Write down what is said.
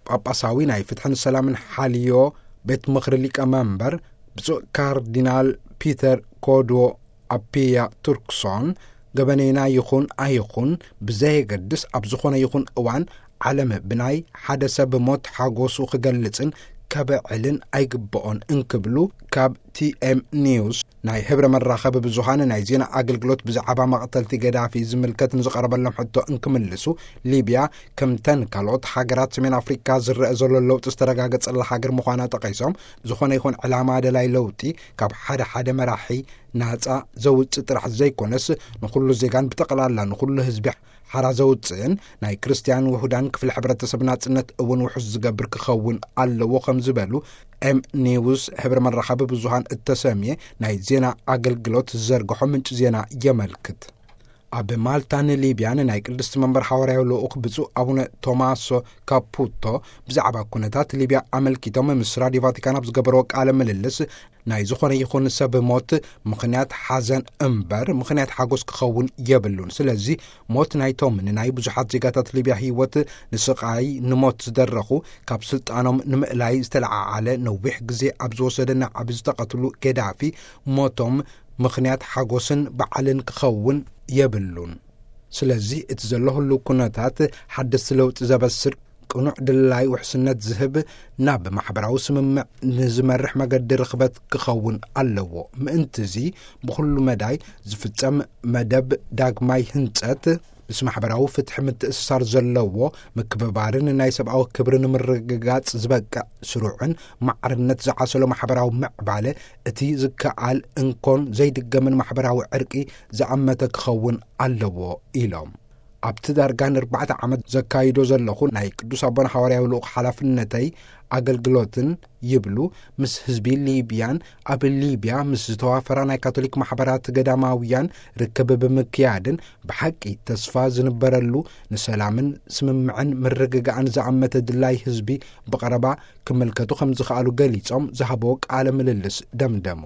ጳጳሳዊ ናይ ፍትሕን ሰላምን ሓልዮ ቤት ምኽሪ ሊቀ መንበር ብፁዕ ካርዲናል ፒተር ኮድዎ ኣፒያ ቱርክሶን፣ ገበነይና ይኹን ኣይኹን ብዘየገድስ፣ ኣብ ዝኾነ ይኹን እዋን ዓለም ብናይ ሓደ ሰብ ሞት ሓጎሱ ክገልጽን ከብዕልን ኣይግብኦን እንክብሉ ካብ ቲ ኤም ኒውስ ናይ ህብረ መራኸቢ ብዙሃን ናይ ዜና ኣገልግሎት ብዛዕባ መቕተልቲ ገዳፊ ዝምልከት ንዝቐረበሎም ሕቶ እንክምልሱ፣ ሊብያ ከምተን ካልኦት ሃገራት ሰሜን ኣፍሪካ ዝረአ ዘሎ ለውጢ ዝተረጋገጸላ ሃገር ምዃና ጠቒሶም፣ ዝኾነ ይኹን ዕላማ ደላይ ለውጢ ካብ ሓደ ሓደ መራሒ ናጻ ዘውጽእ ጥራሕ ዘይኮነስ፣ ንኹሉ ዜጋን ብጠቕላላ ንኹሉ ህዝቢ ሓራ ዘውጽእን ናይ ክርስትያን ውሑዳን ክፍሊ ሕብረተሰብ ናጽነት እውን ውሑስ ዝገብር ክኸውን ኣለዎ ከም ዝበሉ ኤም ኒውስ ህብረ መራኸቢ ብዙሃን እተሰምየ ናይ ዜና ኣገልግሎት ዝዘርግሖ ምንጪ ዜና የመልክት። ኣብ ማልታን ሊብያን ናይ ቅድስቲ መንበር ሓዋርያዊ ልኡኽ ብፁዕ ኣቡነ ቶማሶ ካፑቶ ብዛዕባ ኩነታት ሊብያ ኣመልኪቶም ምስ ራድዮ ቫቲካን ኣብ ዝገበርዎ ቃለ ምልልስ፣ ናይ ዝኾነ ይኹን ሰብ ሞት ምኽንያት ሓዘን እምበር ምኽንያት ሓጎስ ክኸውን የብሉን። ስለዚ ሞት ናይቶም ንናይ ብዙሓት ዜጋታት ሊብያ ህይወት ንስቓይ ንሞት ዝደረኹ፣ ካብ ስልጣኖም ንምእላይ ዝተለዓዓለ ነዊሕ ግዜ ኣብ ዝወሰደ ናዕቢ ዝተቐትሉ ገዳፊ ሞቶም ምኽንያት ሓጎስን በዓልን ክኸውን የብሉን። ስለዚ እቲ ዘሎ ህሉው ኩነታት ሓደስቲ ለውጢ ዘበስር ቅኑዕ ድላይ ውሕስነት ዝህብ ናብ ማሕበራዊ ስምምዕ ንዝመርሕ መገዲ ርኽበት ክኸውን ኣለዎ። ምእንትዚ ብኹሉ መዳይ ዝፍጸም መደብ ዳግማይ ህንጸት ምስ ማሕበራዊ ፍትሒ ምትእስሳር ዘለዎ ምክብባርን ናይ ሰብኣዊ ክብሪ ንምርግጋጽ ዝበቅዕ ስሩዕን ማዕርነት ዝዓሰሎ ማሕበራዊ ምዕባለ እቲ ዝከኣል እንኮን ዘይድገምን ማሕበራዊ ዕርቂ ዝኣመተ ክኸውን ኣለዎ ኢሎም። ኣብቲ ዳርጋ ንኣርባዕተ ዓመት ዘካይዶ ዘለኹ ናይ ቅዱስ ኣቦና ሓዋርያዊ ልኡኽ ሓላፍነተይ ኣገልግሎትን ይብሉ፣ ምስ ህዝቢ ሊብያን ኣብ ሊብያ ምስ ዝተዋፈራ ናይ ካቶሊክ ማሕበራት ገዳማውያን ርክብ ብምክያድን ብሓቂ ተስፋ ዝንበረሉ ንሰላምን ስምምዕን ምርግጋእን ዝኣመተ ድላይ ህዝቢ ብቐረባ ክምልከቱ ከም ዝኸኣሉ ገሊጾም ዝሃብዎ ቃለ ምልልስ ደምደሙ።